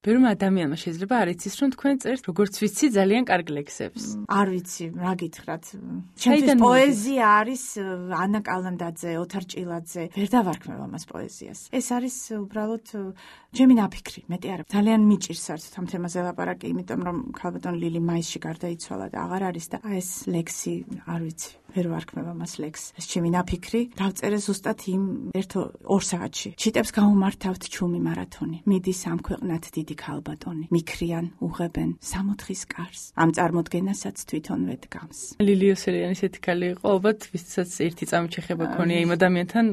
ბევრმა ადამიანმა შეიძლება არ იცის, რომ თქვენ წერთ, როგორც ვიცი, ძალიან კარგ ლექსებს. არ ვიცი, რა გითხრათ. ჩემთვის პოეზია არის ანა კალანდაძე, ოთარ ჭილაძე. ვერ დავარქმევ ამას პოეზიას. ეს არის უბრალოდ ჩემი ნაფიქრი, მეტი არა. ძალიან მიჭირს საერთოდ ამ თემაზე ლაპარაკი, იმიტომ რომ ქალბატონ ლილი მაისში გარდაიცვალა და აღარ არის და ეს ლექსი, არ ვიცი. ვერ ვარქმევ ამას ლექსს. ეს ჩემი ნაფიქრი, დავწერე ზუსტად იმ 1-2 საათში. ჩიტებს გაუმართავთ ჩუმი მარათონი. მიდის ამ ქვეყნად დიდი ქალბატონი. მიქრიან, უღებენ 60-ის კარს. ამ წარმოდგენასაც თვითონვე დგამს. ლილი ოსელიანი ესეთი ქალი იყო, ალბათ ვისაც ერთი წამით შეხება ქონია იმ ადამიანთან,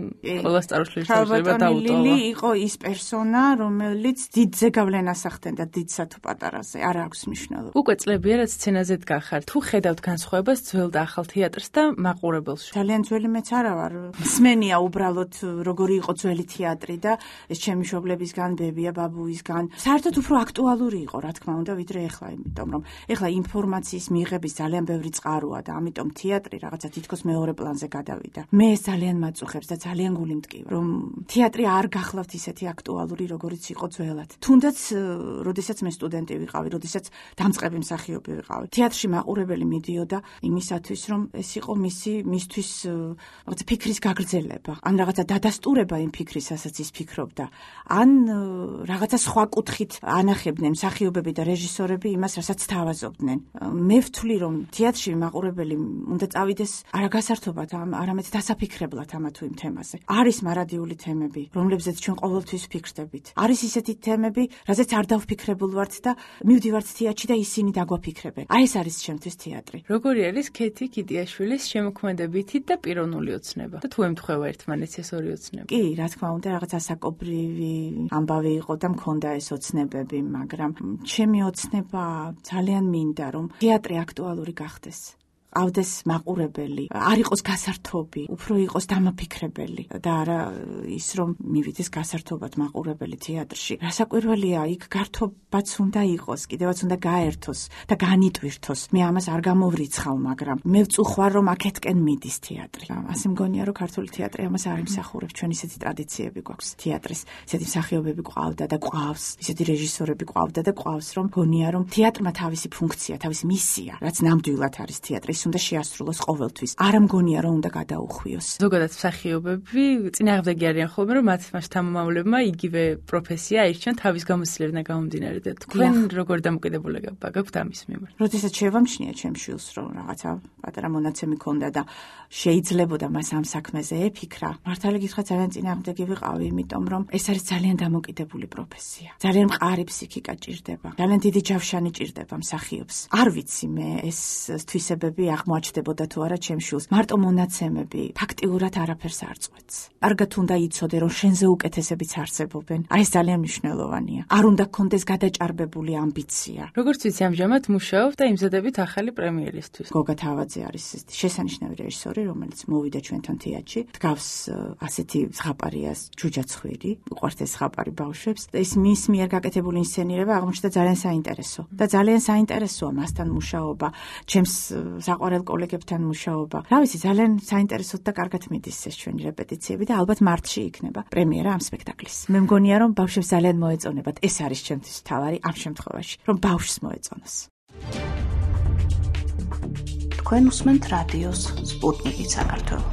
ყველა სტაროსლერს შეიძლება დაუტოვა. ლილი იყო ის პერსონა, რომელიც დიდ ზეგავლენას ახდენდა დიდსა თუ პატარაზე. არ აქვს მნიშვნელობა. უკვე წლებია რაც სცენაზე დგახარ. თუ ხედავთ განსხვავებას ძველ და ახალ თეატრს და მაყურებელს. ძალიან ძველი მეც არა ვარ. მსმენია უბრალოდ როგორი იყო ძველი თეატრი და ეს ჩემი მშობლებისგან, ბებია, ბაბუისგან. საერთოდ უფრო აქტუალური იყო, რა თქმა უნდა, ვიდრე ეხლა, იმიტომ რომ ეხლა ინფორმაციის მიღების ძალიან ბევრი წყაროა და ამიტომ თეატრი რაღაცა თითქოს მეორე პლანზე გადავიდა. მე ეს ძალიან მაწუხებს და ძალიან გული მტკივა, რომ თეატრი არ გახლავთ ისეთი აქტუალური, როგორიც იყო ძველად. თუნდაც, როდესაც მე სტუდენტი ვიყავი, როდესაც დამწყები მსახიობი ვიყავი. თეატრში მაყურებელი მიდიოდა იმისათვის, რომ ეს იყო მისთვის რაღაცა ფიქრის გაგრძელება, ან რაღაცა დადასტურება იმ ფიქრისასაც ის ფიქრობდა, ან რაღაცა სხვა კუთხით ანახებდნენ მსახიობები და რეჟისორები იმას, რასაც თავაზობდნენ. მე ვთვლი, რომ თეატრში მაყურებელი უნდა წავიდეს არა გასართობად, არამედ დასაფიქრებლად ამა თუ იმ თემაზე. არის მარადიული თემები, რომლებზეც ჩვენ ყოველთვის ვფიქრდებით. არის ისეთი თემები, რაზეც არ დავფიქრებულ ვართ და მივდივართ თეატრში და ისინი დაგვაფიქრებენ. აი ეს არის ჩემთვის თეატრი. როგორი არის ქეთი კიტიაშვილის შემოქმედებითი და პიროვნული ოცნება? და თუ ემთხვევა ერთმანეთს ეს ორი ოცნება? კი, რა თქმა უნდა, რაღაც ასაკობრივი ამბავი იყო და მქონდა ეს ოცნებები, მაგრამ ჩემი ოცნება ძალიან მინდა, რომ თეატრი აქტუალური გახდეს. ავდეს მაყურებელი, არ იყოს გასართობი, უფრო იყოს დამაფიქრებელი და არა ის რომ მივიდეს გასართობად მაყურებელი თეატრში. რასაკვირველია, იქ გართობაც უნდა იყოს, კიდევაც უნდა გაერთოს და განიტვირთოს. მე ამას არ გამოვრიცხავ, მაგრამ მე ვწუხვარ რომ აქეთკენ მიდის თეატრი. ასე მგონია რომ ქართული თეატრი ამას არ იმსახურებს. ჩვენ ისეთი ტრადიციები გვაქვს თეატრის, ისეთი მსახიობები ყავდა და ყავს, ისეთი რეჟისორები ყავდა და ყავს, რომ მგონია რომ თეატრმა თავისი ფუნქცია, თავისი მისია, რაც ნამდვილად არის თეატრი უნდა შეასრულოს ყოველთვის. არ მგონია რომ უნდა გადაუხვიოს. ზოგადად მსახიობები წინააღმდეგი არიან ხოლმე, რომ მათ შთამომავლებმა იგივე პროფესია აირჩიონ თავის გამოცდილებიდან გამომდინარე და თქვენ როგორ დამოკიდებულება გაქვთ ამის მიმართ? როდესაც შევამჩნია ჩემს შვილს, რომ რაღაცა პატარა მონაცემი ქონდა და შეიძლებოდა მას ამ საქმეზე ეფიქრა, მართალი გითხრა ძალიან წინააღმდეგი ვიყავი, იმიტომ რომ ეს არის ძალიან დამოკიდებული პროფესია. ძალიან მყარი ფსიქიკა ჭირდება. ძალიან დიდი ჯავშანი ჭირდება მსახიობს. არ ვიცი მე ეს თვისებები აღმოაჩნდებოდა თუ არა ჩემს შვილს. მარტო მონაცემები ფაქტიურად არაფერს არ წყვეტს. კარგად უნდა იცოდე, რომ შენზე უკეთესებიც არსებობენ. აი ეს ძალიან მნიშვნელოვანია. არ უნდა გქონდეს გადაჭარბებული ამბიცია. როგორც ვიცი, ამჟამად მუშაობ და იმზადებით ახალი პრემიერისთვის. გოგა თავაძე არის შესანიშნავი რეჟისორი, რომელიც მოვიდა ჩვენთან თეატრში. დგავს ასეთი ზღაპარია ჯუჯაცხვირი, უყვართ ეს ზღაპარი ბავშვებს. ეს მის მიერ გაკეთებული ინსცენირება აღმოჩნდა ძალიან საინტერესო. და ძალიან საინტერესოა მასთან მუშაობა, ჩემს საყვარელ კოლეგებთან მუშაობა. რა ვიცი, ძალიან საინტერესოდ და კარგად მიდის ეს ჩვენი რეპეტიციები და ალბათ მარტში იქნება პრემიერა ამ სპექტაკლის. მე მგონია რომ ბავშვებს ძალიან მოეწონებათ. ეს არის ჩემთვის მთავარი ამ შემთხვევაში, რომ ბავშვს მოეწონოს. თქვენ უსმენთ რადიოს სპუტნიკი საქართველო.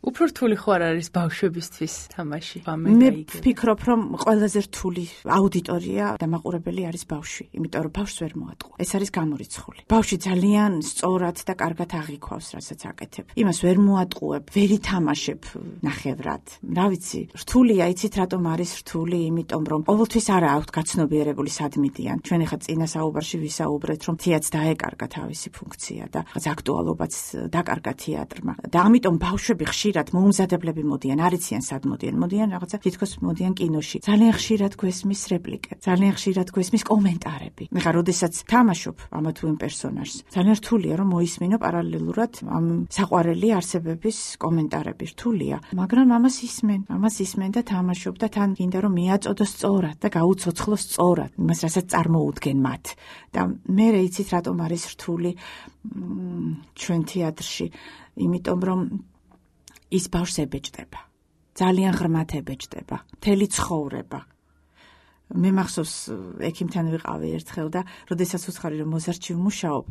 უფრო რთული ხო არ არის ბავშვებისთვის თამაში? მე ვფიქრობ, რომ ყველაზე რთული აუდიტორია და მაყურებელი არის ბავშვი, იმიტომ რომ ბავშვს ვერ მოატყუა. ეს არის გამორიცხული. ბავშვი ძალიან სწორად და კარგად აღიქვავს, რასაც აკეთებ. იმას ვერ მოატყუებ, ვერ ითამაშებ ნახევრად. რა ვიცი, რთულია, იცით რატომ არის რთული? იმიტომ რომ ყოველთვის არა აქვთ გაცნობიერებული სადმიდიან. ჩვენ ახლა წინა საუბარში ვისაუბრეთ, რომ თეატრს დაეკარგა თავისი ფუნქცია და აქტუალობაც დაკარგა თეატრმა. და ამიტომ ბავშვები ხშირად მოუმზადებლები მოდიან, არ იციან სად მოდიან. მოდიან რაღაცა თითქოს მოდიან კინოში. ძალიან ხშირად გვესმის რეპლიკები, ძალიან ხშირად გვესმის კომენტარები. ეხლა როდესაც თამაშობ ამა თუ იმ პერსონაჟს, ძალიან რთულია რომ მოისმინო პარალელურად ამ საყვარელი არსებების კომენტარები. რთულია, მაგრამ ამას ისმენ და თამაშობ და თან გინდა რომ მიაწოდოს სწორად და გაუცოცხლოს სწორად იმას, რასაც წარმოუდგენ მათ. და მე იცით რატომ არის რთული ჩვენ თეატრში, იმიტომ რომ ის ბავშვს ებეჭდება. ძალიან ღრმად ებეჭდება, მთელი ცხოვრება. მე მახსოვს ექიმთან ვიყავი ერთხელ და როდესაც უცხარი რომ მოზარდში ვმუშაობ,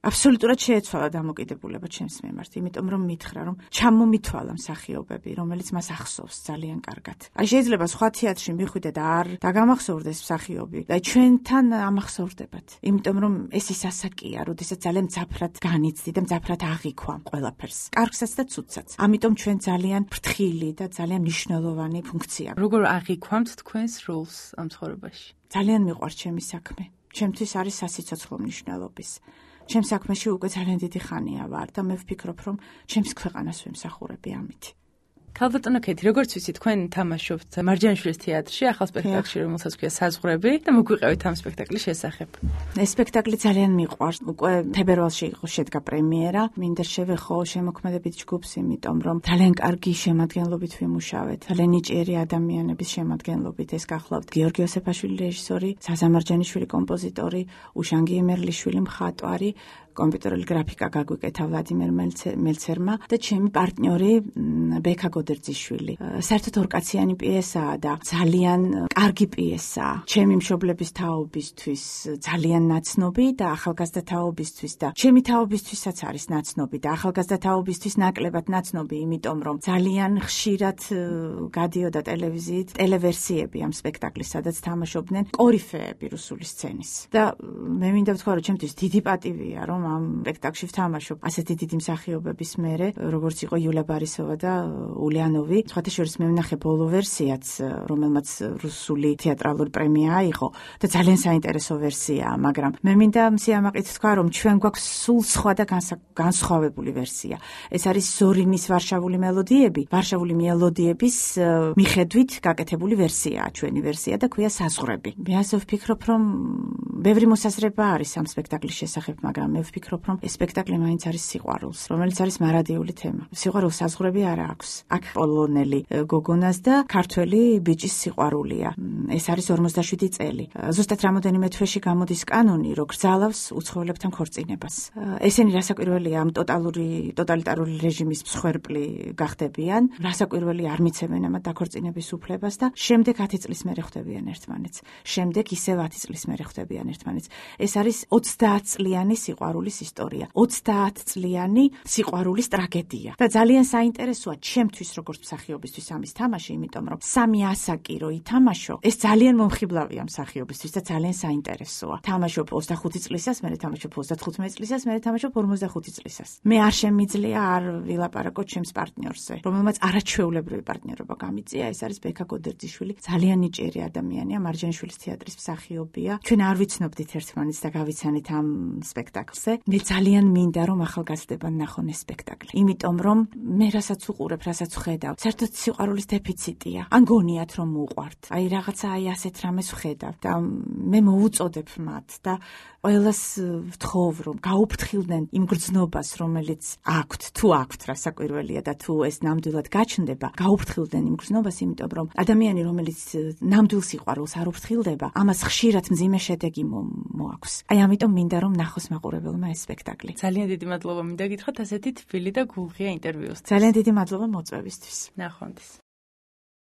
აბსოლუტურად შეეცვალა დამოკიდებულება ჩემს მიმართ, იმიტომ რომ მითხრა რომ ჩამომითვალა მსახიობები, რომელიც მას ახსოვს ძალიან კარგად. აი შეიძლება სხვა თეატრში მიხვიდე და არ დაგამახსოვრდეს მსახიობი და ჩვენთან ამახსოვრდებათ, იმიტომ რომ ეს ის ასაკია, როდესაც ძალიან მძაფრად განიცდი და მძაფრად აღიქვამ ყველაფერს, კარგსაც და ცუდსაც. ამიტომ ჩვენ ძალიან ფრთხილი და ძალიან მნიშვნელოვანი ფუნქცია. როგორ აღიქვამთ თქვენს როლს ამ ცხოვრებაში? ძალიან მიყვარს ჩემი საქმე. ჩემთვის არის სასიცოცხლო მნიშვნელობის. ჩემს საქმეში უკვე ძალიან დიდი ხანია ვარ და მე ვფიქრობ, რომ ჩემს ქვეყანას ვემსახურები ამით. ქალბატონო ქეთი, როგორც ვიცი, თქვენ თამაშობთ მარჯანიშვილის თეატრში, ახალ სპექტაკლში, რომელსაც ქვია საზღვრები და მოგვიყევით ამ სპექტაკლის შესახებ. ეს სპექტაკლი ძალიან მიყვარს. უკვე თებერვალში იყო შედგა პრემიერა. მინდა შევეხო შემოქმედებით ჯგუფს, იმიტომ რომ ძალიან კარგი შემადგენლობით ვიმუშავეთ. ძალიან ნიჭიერი ადამიანების შემადგენლობით. ეს გახლავთ გიორგი ოსეფაშვილი რეჟისორი, საზა მარჯანიშვილი კომპოზიტორი, უშანგი ემერლიშვილი მხატვარი, კომპიუტერული გრაფიკა გაგვიკეთა ვლადიმერ მელცერმა და ჩემი პარტნიორი ბექა გოდერძიშვილი. საერთოდ ორკაციანი პიესაა და ძალიან კარგი პიესაა. ჩემი მშობლების თაობისთვის ძალიან ნაცნობი და ახალგაზრდა თაობისთვის და ჩემი თაობისთვისაც არის ნაცნობი და ახალგაზრდა თაობისთვის ნაკლებად ნაცნობი, იმიტომ რომ ძალიან ხშირად გადიოდა ტელევიზიით ტელევერსიები ამ სპექტაკლის, სადაც თამაშობდნენ კორიფეები რუსული სცენის. და მე მინდა ვთქვა, რომ ჩემთვის დიდი პატივია, რომ ამ სპექტაკლში ვთამაშობ ასეთი დიდი მსახიობების მერე, როგორც იყო იულა ბარისოვა და ულიანოვი. სხვათა შორის მე ვნახე ბოლო ვერსიაც, რომელმაც რუსული თეატრალური პრემია აიღო და ძალიან საინტერესო ვერსიაა, მაგრამ მე მინდა სიამაყით თქვა, რომ ჩვენ გვაქვს სულ სხვა და განსხვავებული ვერსია. ეს არის ზორინის ვარშავული მელოდიების მიხედვით გაკეთებული ვერსიაა, ჩვენი ვერსია და ქვია საზღვრები. მე ასე ვფიქრობ, რომ ბევრი მოსაზრება არის ამ სპექტაკლის შესახებ, მაგრამ მე ვფიქრობ, რომ ეს სპექტაკლი მაინც არის სიყვარულს, რომელიც არის მარადიული თემა. სიყვარულს საზღვრები არ აქვს. აქ პოლონელი გოგონას და ქართველი ბიჭის სიყვარულია. ეს არის 47 წელი. ზუსტად რამოდენიმე თვეში გამოდის კანონი, რომ გრძალავს უცხოელებთან ქორწინებას. ესენი რასაკვირველია ამ ტოტალიტარული რეჟიმის მსხვერპლი გახდებიან, რასაკვირველი არ მიცემენ ამათ დაქორწინების უფლებას და შემდეგ 10 წლის მერე ხვდებიან ერთმანეთს. შემდეგ ისევ 10 წლის მერე ხვდებიან ერთმანეთს. ეს არის 30 წლიანი სიყვარულის ისტორია. 30 წლიანი სიყვარულის ტრაგედია. და ძალიან საინტერესოა ჩემთვის როგორც მსახიობისთვის ამის თამაში, იმიტომ რომ 3 ასაკი რო ითამაშო, ეს ძალიან მომხიბლავია მსახიობისთვის და ძალიან საინტერესოა. თამაშობ 25 წლისას, მე თამაშობ 35 წლისას, მე თამაშობ 45 წლისას. მე არ შემიძლია არ ვილაპარაკო ჩემს პარტნიორზე, რომელმაც არაჩვეულებრივი პარტნიორობა გამიწია, ეს არის ბექა გოდერძიშვილი. ძალიან ნიჭიერი ადამიანია, მარჯანიშვილის თეატრის მსახიობია. ჩვენ არ ვიცნობდით ერთმანეთს და გავიცანით ამ სპექტაკლზე. მე ძალიან მინდა რომ ახალგაზრდება ნახონ ეს სპექტაკლი. იმიტომ რომ მე რასაც უყურებ, რასაც ვხედავ, საერთოდ სიყვარულის დეფიციტია. ან გონიათ რომ უყვართ. აი რაღაცა აი ასეთ რამეს ვხედავ და მე მოუწოდებ მათ და ყველას ვთხოვ რომ გაუფრთხილდნენ იმ გრძნობას, რომელიც აქვთ, თუ აქვთ რასაკვირველია და თუ ეს ნამდვილად გაჩნდება, გაუფრთხილდნენ იმ გრძნობას, იმიტომ რომ ადამიანი, რომელიც ნამდვილ სიყვარულს არ უფრთხილდება, ამას ხშირად მძიმე შედეგი მოაქვს. აი ამიტომ მინდა რომ ნახოს მაყურებელმა ეს სპექტაკლი. ძალიან დიდი მადლობა მინდა გითხრათ ასეთი თბილი და გულღია ინტერვიუსთვის. ძალიან დიდი მადლობა მოწვევისთვის. ნახვამდის.